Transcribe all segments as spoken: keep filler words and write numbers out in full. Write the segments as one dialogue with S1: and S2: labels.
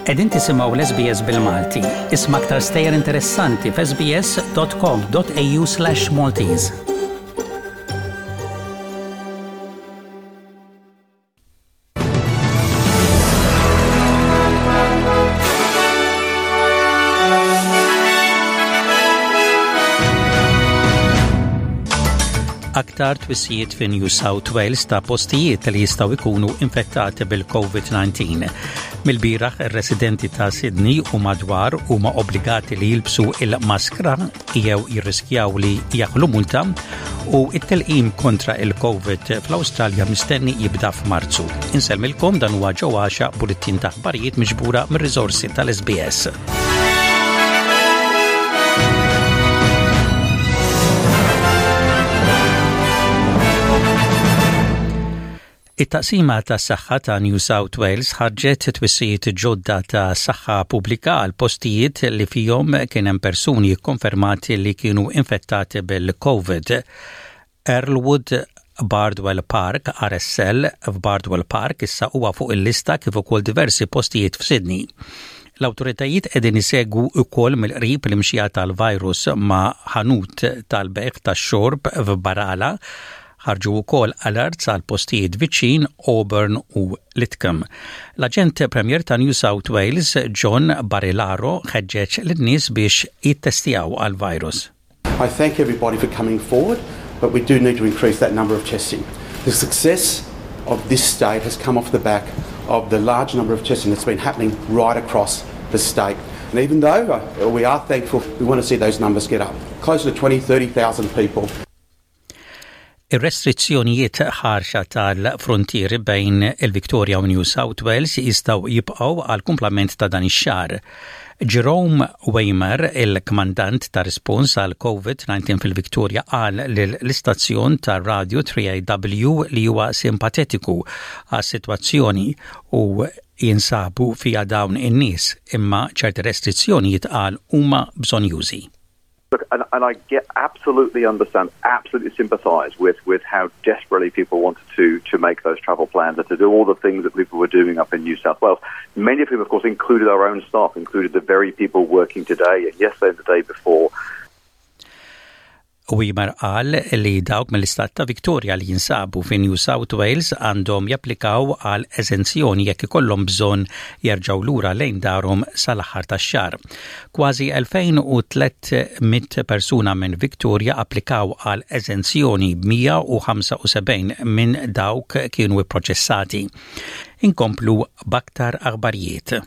S1: Qegħdin tisimgħu l-S B S bil-Malti. Isma' aktar stejjer interessanti f'S B S dot com dot A U slash Maltese. Aktar twissijiet fi New South Wales ta' postijiet li jistgħu jkunu infettati bil-COVID nineteen. Mill-bieraħ, ir-residenti ta' Sydney u madwar huma obbligati li jilbsu il-maskra jew jirriskjaw li jaħlu multa, u it-tilqim kontra il-COVID fl-Awstralja mistenni jibda f'Marzu. Insellmilkom, dan huwa Joe Axiaq, bullettin ta' aħbarijiet miġbura mir-riżorsi tal-S B S. It-taqsima ta' saħħa ta' New South Wales ħarġet twissijiet ġodda ta' saħħa pubblika għal postijiet li fihom kien hemm persuni konfermati li kienu infettati bil-COVID. Earlwood Bardwell Park R S L f'Bardwell Park issa huwa fuq il-lista, kif ukoll diversi postijiet f'Sydney. L-awtoritajiet qegħdin isegwu wkoll mill-qrib l-imxija tal-virus ma' ħanut tal-bejgħ tax-xorb f'Barala. Ħarġu wkoll alerts għal postijiet viċin Auburn u Lidcombe. L-aġent Premier ta' New South Wales, John Barilaro, ħeġġeġ lin-nies biex jittestjaw għal-virus.
S2: I thank everybody for coming forward, but we do need to increase that number of testing. The success of this state has come off the back of the large number of testing that's been happening right across the state. And even though uh, we are thankful, we want to see those numbers get up, closer to twenty, thirty thousand people.
S1: Ir-restrizzjonijiet ħarxa tal-frontieri bejn il-Victoria u New South Wales jistgħu jibqgħu għal kumplament ta' dan ix-xahar. Jerome Weimer, il-kmandant ta' respons għal COVID nineteen fil-Victoria, qal l-istazzjon ta' radio three A W li huwa simpatetiku għas-sitwazzjoni u jinsabu fija dawn in-nies, imma ċerti restrizzjonijiet, qal, huma bżonjużi.
S3: Look, and, and I get absolutely understand, absolutely sympathise with, with how desperately people wanted to, to make those travel plans and to do all the things that people were doing up in New South Wales. Many of whom, of course, included our own staff, included the very people working today and yesterday and the day before.
S1: Weimer qal li dawk mill-istat ta' Victoria li jinsabu fi New South Wales għandhom japplikaw għal eżenzjoni jekk ikollhom bżonn jerġgħu lura lejn darhom sal-aħħar tax-xahar. Kważi elfejn u tliet mitt persuna minn Victoria applikaw għal eżenzjoni, mija u ħamsa u sebgħin minn dawk kienu ipproċessati. Inkomplu b'aktar aħbarijiet.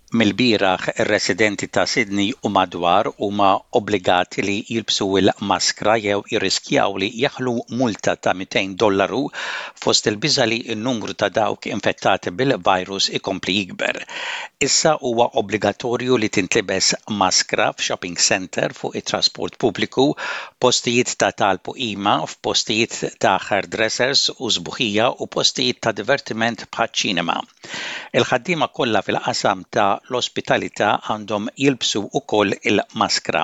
S1: Mill-bieraħ, ir-residenti ta' Sydney u madwar huma obbligati li jilbsu il-maskra jew jirriskjaw li jaħlu multa ta' mitejn dollaru fost il-biża li n-numru ta' dawk infettati bil-virus ikompli jikber. Issa huwa obbligatorju li tintlibes maskra f'shopping center, fuq it-trasport pubbliku, postijiet ta' talb u qima, f'postijiet ta' hairdressers u sbuħija u postijiet ta' divertiment bħal ċinema. Il-ħaddiema kollha fil-qasam ta' l-ospitalità għandhom jilbsu ukoll il-maskra.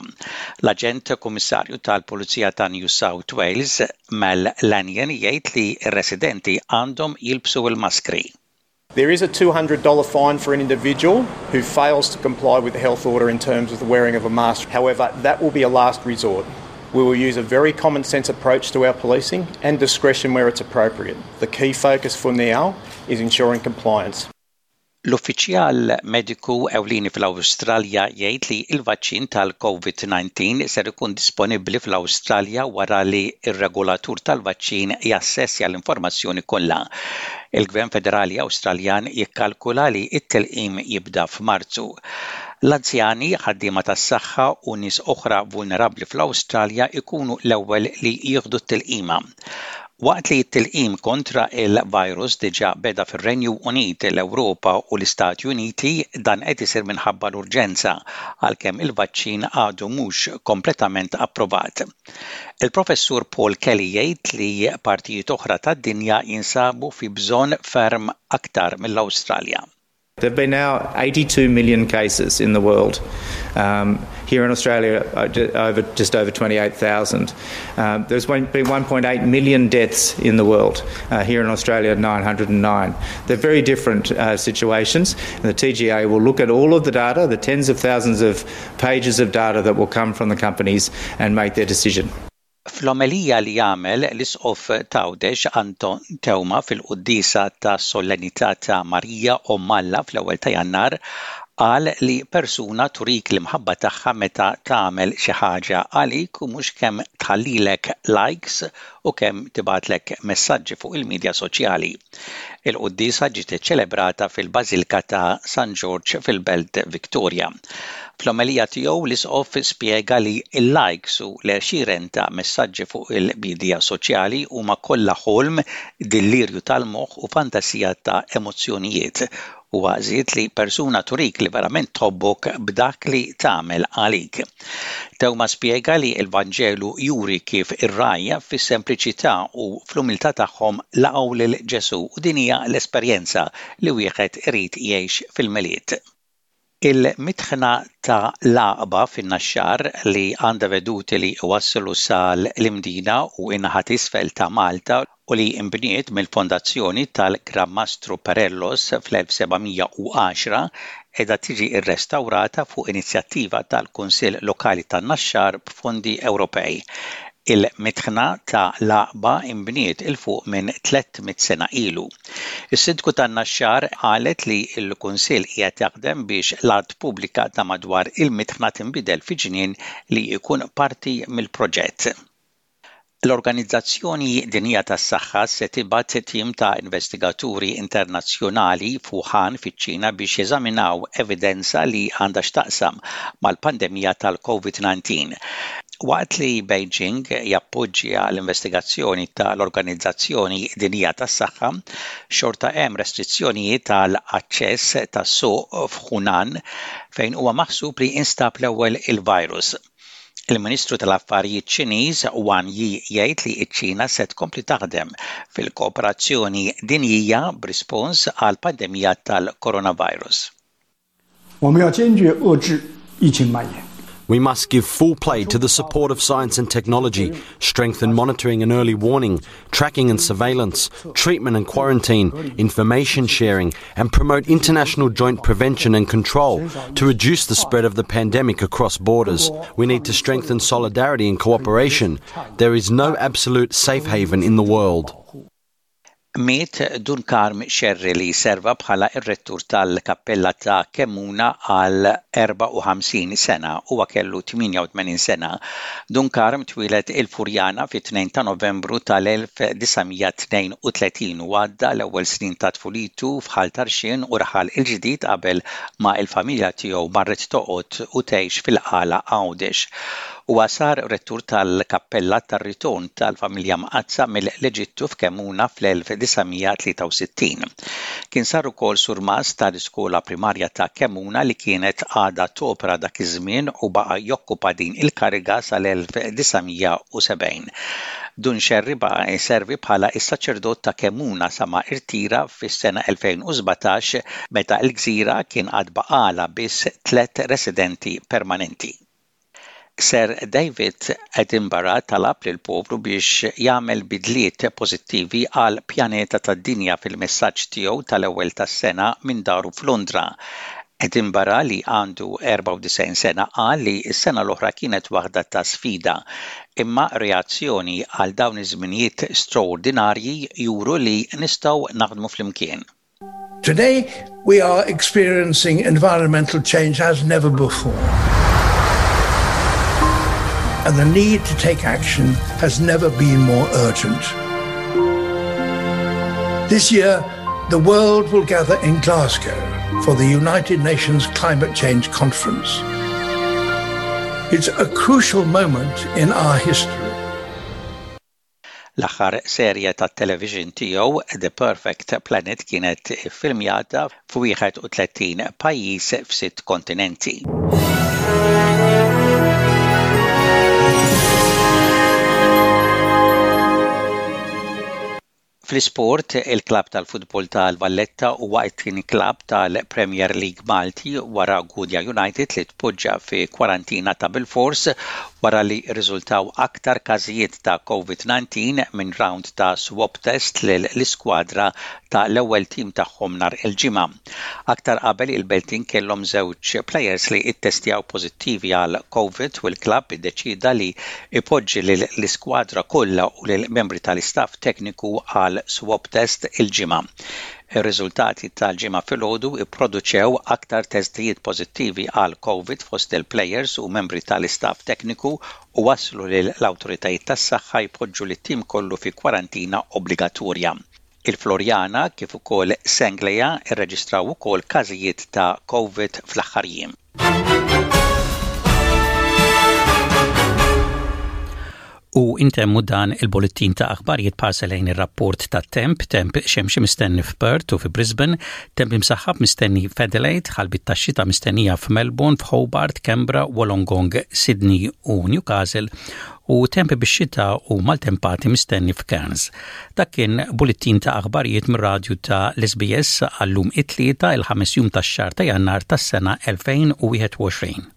S1: L-Aġent Kummissarju tal-Pulizija ta' New South Wales, Mal Lanyon, jgħid li r-residenti għandhom jilbsu il-maskri.
S4: There is a two hundred dollar fine for an individual who fails to comply with the health order in terms of the wearing of a mask. However, that will be a last resort. We will use a very common sense approach to our policing and discretion where it's appropriate. The key focus for now is ensuring compliance.
S1: L-uffiċjal mediku ewlieni fl-Awstralja jgħid li l-vaċċin tal-COVID nineteen ser ikun disponibbli fl-Awstralja wara li r-regolatur tal-vaċċin jassessja l-informazzjoni kollha. Il-Gvern Federali Awstraljan jikkalkula li t-tilqim jibda f'Marzu. L-anzjani, ħaddiema tas-saħħa u nies oħra vulnerabbli fl-Awstralja ikunu l-ewwel li jieħdu t-tilqima. Waqt li t-tilqim kontra il-virus diġà beda fir-Renju Unit, l-Ewropa u l-Istati Uniti, dan qed isir minħabba l-urġenza, għalkemm il-vaċċin għadu mhux kompletament approvat. Il-professur Paul Kelly jgħid li partijiet oħra tad-dinja jinsabu fi bżonn ferm aktar mill-Awstralja.
S5: There have been now eighty-two million cases in the world. Um, here in Australia, uh, over, just over twenty-eight thousand. Um, there's been one point eight million deaths in the world. Uh, here in Australia, nine hundred and nine. They're very different uh, situations. And the T G A will look at all of the data, the tens of thousands of pages of data that will come from the companies, and make their decision.
S1: Fl-omelija li għamel l-Isqof t'Għawdex Anton Teuma fil-quddiesa ta' Solennità ta' Marija Omm Alla fl-ewwel ta' Jannar, qal li persuna turik l-imħabba tagħha meta tagħmel xi ħaġa għalik u mhux kemm tħallilek likes u kemm tibgħatlek messaġġi fuq il-medja soċjali. Il-quddiesa ġiet iċċelebrata fil-Bażilka ta' San George fil-Belt Victoria. Fl-omelija tiegħu, l-Isqof spjega li l-likes u l-għexieren ta' messaġġi fuq il-medja soċjali huma kollha ħolm, dillirju tal-moħħ u fantasija ta' emozzjonijiet, u żied li persuna turik li verament tħobbok b'dak li tagħmel għalik. Teuma spjega li l-Vanġelu juri kif ir-rgħajja fis-sempliċità u fl-umiltà tagħhom laqgħu lil Ġesu, u din hija l-esperjenza li wieħed irid jgħix fil-Milied. Il-mitħna ta' l-Għaqba fin-Naxxar, li għandha veduti li wasslu sal-Imdina u in-naħa t'isfel ta' Malta u li imbniet mill-fondazzjoni tal-Gran Mastru Perellos fl-elf seba' mija u għaxra, qiegħda tiġi rrestawrata fuq inizjattiva tal-Kunsill Lokali tan-Naxxar b'fondi Ewropej. Il-mitħna ta' l-Għaqba imbniet 'il fuq minn tliet mitt sena ilu. Is-Sindku tan-Naxxar qalet li l-Kunsill qiegħed jaħdem biex l-art pubblika ta' madwar il-mitħna tinbidel fi ġnien li jkun parti mill-proġett. L-Organizzazzjoni Dinjija tas-Saħħa se tibgħat tim ta' investigaturi internazzjonali f'Wuhan fiċ-Ċina biex jeżaminaw evidenza li għandha x'taqsam mal-pandemija tal-COVID nineteen. Waqt li Beijing jappoġġja l-investigazzjoni tal-Organizzazzjoni Dinjija tas-Saħħa, xorta hemm restrizzjonijiet tal-aċċess tas-suq f'Hunan, fejn huwa maħsub li instab l-ewwel il-virus. Il-Ministru tal-Affarijiet Ċiniż Wang Yi jgħid li ċ-Ċina se tkompli taħdem fil-kooperazzjoni dinjija b'rispons għal pandemija tal-coronavirus.
S6: 我们要坚决遏制疫情蔓延。
S7: We must give full play to the support of science and technology, strengthen monitoring and early warning, tracking and surveillance, treatment and quarantine, information sharing, and promote international joint prevention and control to reduce the spread of the pandemic across borders. We need to strengthen solidarity and cooperation. There is no absolute safe haven in the world.
S1: Miet Dun Karm Xerri, li serva bħala ir-rettur tal-Kappella ta' Kemmuna għal erbgħa u ħamsin sena. U kellu tmienja u tmenin sena. Dun Karm twieled il-Furjana fit-tnejn ta' Novembru tal-elf disa' mija tnejn u tletin u għadda l-ewwel snin ta' tfulitu f'Ħal Tarxien u Raħal il-Ġdid qabel ma il-familja tiegħu marret toqgħod u tgħix fil-Qala, Għawdex. Huwa sar rettur tal-Kappella tar-Ritorn tal-Familja Mqaddsa mill-Eġittu f'Kemmuna fl-elf disa' mija tlieta u sittin. Kien sar ukoll surmast tal-iskola primarja ta' Kemmuna li kienet għadha topera dak iż-żmien, u baqa' jokkupa din il-kariga sal-elf disa' mija u sebgħin. Dun Xerri baqa' jservi bħala is-saċerdot ta' Kemmuna sa ma irtira fis-sena elfejn u sbatax, meta l-gżira kien għad baqala biss tlet residenti permanenti. Sir David Attenborough talab lil poplu biex jagħmel bidliet pożittivi għal pjaneta tad-dinja fil-messaġġ tiegħu tal-ewwel tas-sena minn daru f'Londra. Attenborough, li għandu erbgħa u disgħin sena, qal li s-sena l-oħra kienet waħda ta' sfida, imma reazzjoni għal dawn iż-żminijiet straordinarji juru li nistgħu naħdmu flimkien.
S8: Today we are experiencing environmental change as never before, and the need to take action has never been more urgent. This year, the world will gather in Glasgow for the United Nations Climate Change Conference. It's a crucial moment in our history.
S1: L-aħħar serje ta' television tiegħu, The Perfect Planet, kienet filmjata f'wieħed u tletin pajjiż f'sitt kontinenti. Fl-isport, il-klab tal-futbol tal-Valletta huwa t-tieni klab tal-Premier League Malti wara Gudja United li tpoġġa fi kwarantina ta' bilfors wara li rriżultaw aktar każijiet ta' COVID nineteen minn round ta' swab test lill-iskwadra ta' l-ewwel tim tagħhom nhar il-Ġimgħa. Aktar qabel, il-Beltin kellhom żewġ players li ittestjaw pożittivi għal COVID u l-klabb iddeċida li ipoġġi lill-iskwadra kollha u lill-membri tal-istaff tekniku għal swab test il-Ġimgħa. Ir-riżultati tal-Ġimgħa filgħodu ipproduċew aktar testijiet pożittivi għal COVID fost il-players u membri tal-istaff tekniku u waslu lil l-awtoritajiet tas-saħħa jpoġġu lit-tim kollu fi kwarantina obbligatorja. Il-Floriana kif ukoll Senglea irreġistraw ukoll każijiet ta' COVID fl-aħħar jiem. U intemmu dan il-bullettin ta' aħbarijiet b'ħarsa lejn ir-rapport ta' temp: temp xemxi mistenni f'Perth u fi Brisbane, temp imsaħħab mistenni f'Adelaide, ħalbiet ta' xita mistennija f'Melbourne, f'Hobart, Canberra, Wollongong, Sydney u Newcastle u temp bix-xita u maltempati mistenni f'Cairns. Dak kien bullettin ta' aħbarijiet mir-radju ta' l-S B S għallum, it-Tlieta, il-ħames jum tax-xahar ta' Jannar tas-sena elfejn u wieħed u għoxrin.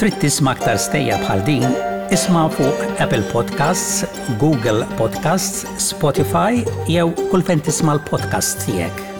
S1: Trid tisma' aktar stejjer bħal din? Isma' fuq Apple Podcasts, Google Podcasts, Spotify jew kull fejn tisma' l-podcasts tiegħek.